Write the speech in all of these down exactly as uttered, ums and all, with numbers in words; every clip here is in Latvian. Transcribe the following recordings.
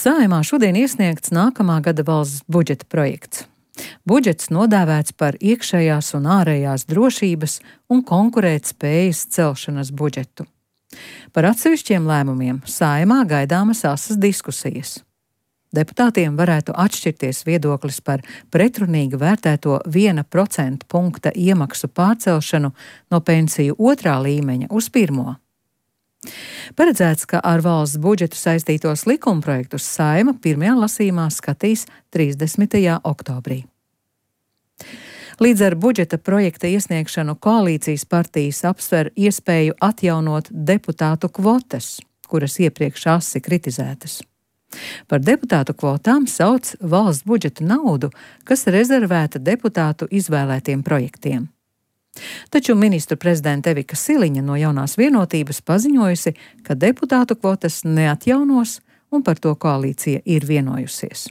Saeimā šodien iesniegts nākamā gada valsts budžeta projekts. Budžets nodēvēts par iekšējās un ārējās drošības un konkurētspējas celšanas budžetu. Par atsevišķiem lēmumiem Saeimā gaidāmas asas diskusijas. Deputātiem varētu atšķirties viedoklis par pretrunīgi vērtēto viena procenta punkta iemaksu pārcelšanu no pensiju otrā līmeņa uz pirmo. Paredzēts, ka ar valsts budžetu saistītos likumprojektus Saeima pirmajā lasījumā skatīs trīsdesmitajā oktobrī. Līdz ar budžeta projekta iesniegšanu koalīcijas partijas apsver iespēju atjaunot deputātu kvotas, kuras iepriekš asi kritizētas. Par deputātu kvotām sauc valsts budžeta naudu, kas rezervēta deputātu izvēlētiem projektiem. Taču ministru prezidenta Evika Siliņa no Jaunās vienotības paziņojusi, ka deputātu kvotas neatjaunos un par to koalīcija ir vienojusies.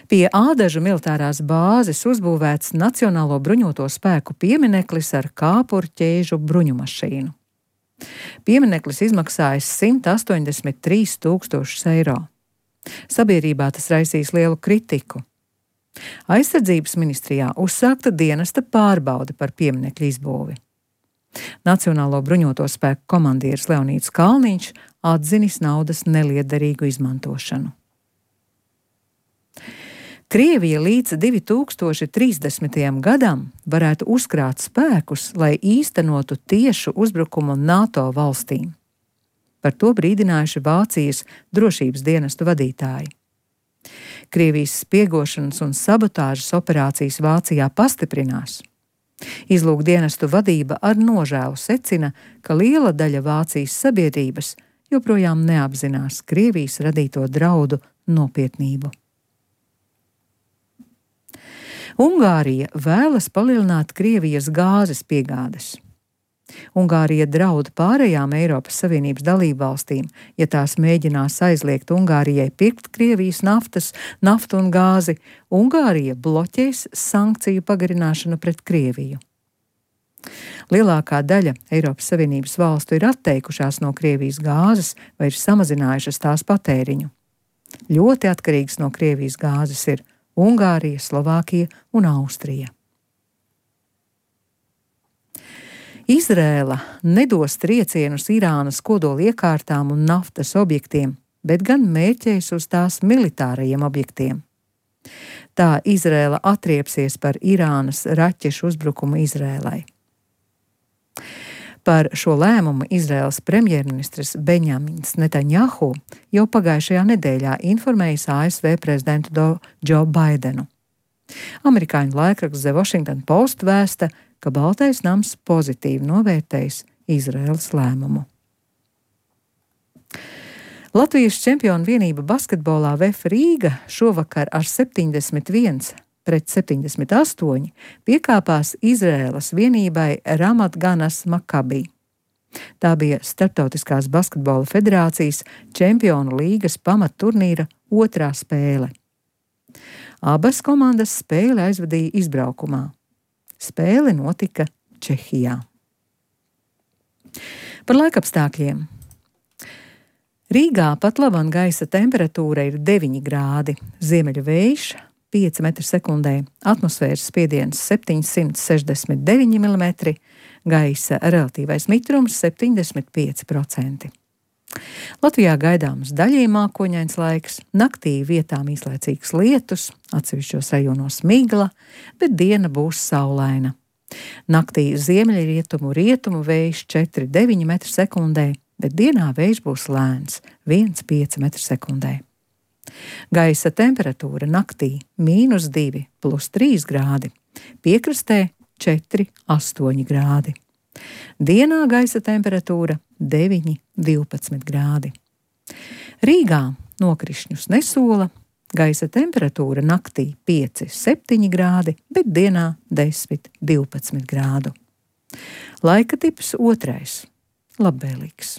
Pie Ādažu militārās bāzes uzbūvēts Nacionālo bruņoto spēku piemineklis ar kāpurķēžu bruņumašīnu. Piemineklis izmaksājis simt astoņdesmit trīs tūkstošus eiro. Sabiedrībā tas raisīs lielu kritiku. Aizsardzības ministrijā uzsākta dienesta pārbaude par pieminekļu izbūvi. Nacionālo bruņoto spēku komandieris Leonīds Kalniņš atzinis naudas neliederīgu izmantošanu. Krievija līdz divi tūkstoši trīsdesmitajam gadam varētu uzkrāt spēkus, lai īstenotu tiešu uzbrukumu NATO valstīm. Par to brīdinājuši Vācijas drošības dienestu vadītāji. Krievijas spiegošanas un sabotāžas operācijas Vācijā pastiprinās. Izlūkdienestu vadība ar nožēlu secina, ka liela daļa Vācijas sabiedrības joprojām neapzinās Krievijas radīto draudu nopietnību. Ungārija vēlas palielināt Krievijas gāzes piegādes. Ungārija draud pārējām Eiropas Savienības dalībvalstīm, ja tās mēģinās aizliegt Ungārijai pirkt Krievijas naftas, naftu un gāzi. Ungārija bloķēs sankciju pagarināšanu pret Krieviju. Lielākā daļa Eiropas Savienības valstu ir atteikušās no Krievijas gāzes vai ir samazinājušas tās patēriņu. Ļoti atkarīgas no Krievijas gāzes ir Ungārija, Slovākija un Austrija. Izrēla nedos triecienus Irānas kodoliekārtām un naftas objektiem, bet gan mērķēs uz tās militārajiem objektiem. Tā Izrēla atriepsies par Irānas raķešu uzbrukumu Izrēlai. Par šo lēmumu Izrēlas premjerministrs Benjamins Netanjahu jau pagājušajā nedēļā informējis A S V prezidentu Džo Baidenu. Amerikāņu laikraksts The Washington Post vēsta, ka Baltais nams pozitīvi novērtējis Izraēlas lēmumu. Latvijas čempionu vienība basketbolā V F Rīga šovakar ar septiņdesmit viens pret septiņdesmit astoņi piekāpās Izraēlas vienībai Ramat Ganas Makabi. Tā bija Starptautiskās basketbola federācijas čempionu līgas pamatturnīra otrā spēle. Abas komandas spēli aizvadīja izbraukumā. Spēle notika Čehijā. Par laikapstākļiem. Rīgā pat labam gaisa temperatūra ir deviņi grādi, ziemeļu vējš pieci metri sekundē, atmosfēras spiediens septiņsimt sešdesmit deviņi milimetri, gaisa relatīvais mitrums septiņdesmit pieci procenti. Latvijā gaidāms daļēji mākoņains laiks, naktī vietām īslaicīgs lietus, atsevišķos rajonos migla, bet diena būs saulaina. Naktī ziemeļrietumu rietumu vējš četri deviņi metri sekundē, bet dienā vējš būs lēns viens pieci metri sekundē. Gaisa temperatūra naktī mīnus divi plus trīs grādi, piekrastē četri astoņi grādi. Dienā gaisa temperatūra deviņi divpadsmit grādi. Rīgā nokrišņus nesola, gaisa temperatūra naktī pieci septiņi grādi, bet dienā desmit divpadsmit grādu. Laika tips otrais – labvēlīgs.